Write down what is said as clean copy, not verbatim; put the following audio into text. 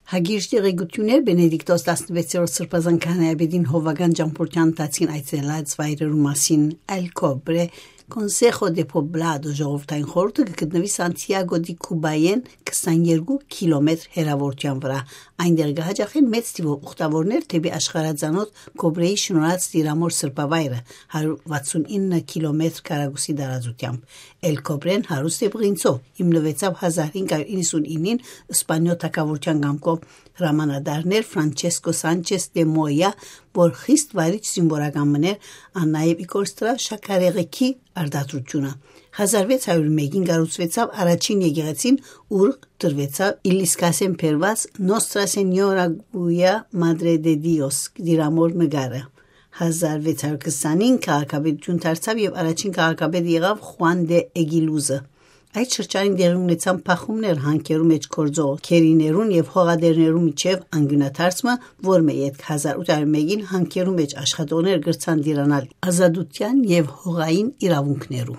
Հագիրժ տեղեկություններ Բենեդիկտոս 16-րդ սրբազան քահանայապետին հովական ճամփորդության ընթացքին այցելած վայրերու մասին El Cobre Consejo de Poblado ժողովրդային խորհուրդը գտնվի Սանտիագո դի Քուբայեն 22 կիլոմետր հեռավորության վրա։ Այնտեղ կհաջողեն մեծ թվով ուխտավորներ թեպի աշխարհածանոթ Կոբրեի շնորհած Տիրամոր սրբավայրը 169 կիլոմետր քառակուսի տարածությամբ։ El Cobre-ն հարուստ է բղինցով հիմնվեցավ 1599-ին Իսպանիո թագավորության կամքով հրամանատարներ Ֆրանչեսկո Սանչես դե Մոյա, որ խիստ վարիչ զինվորական մներ, աննայև Իգոր Շաքարեղեքի արդատրությունը։ 1601-ին կառուցվեցավ առաջին եկեղեցին, ուր դրվեցավ Իլիսկասեն փերված Nostra Señora Guia Madre de Dios դիրամոր նկարը։ 1620-ին քաղաքապետություն դարձավ եւ առաջին քաղաքապետ եղավ Խուան դե Էգիլուզը։ Այդ շրջանին դեղի ունեցան փախումներ հանքերու մեջ կորձող քերիներուն եւ հողադերներու միջև անգյունաթարցումը, որ մեյետ 1801-ին հանքերու մեջ աշխատողներ գրցան դիրանալ ազատության եւ հողային իրավունքներու։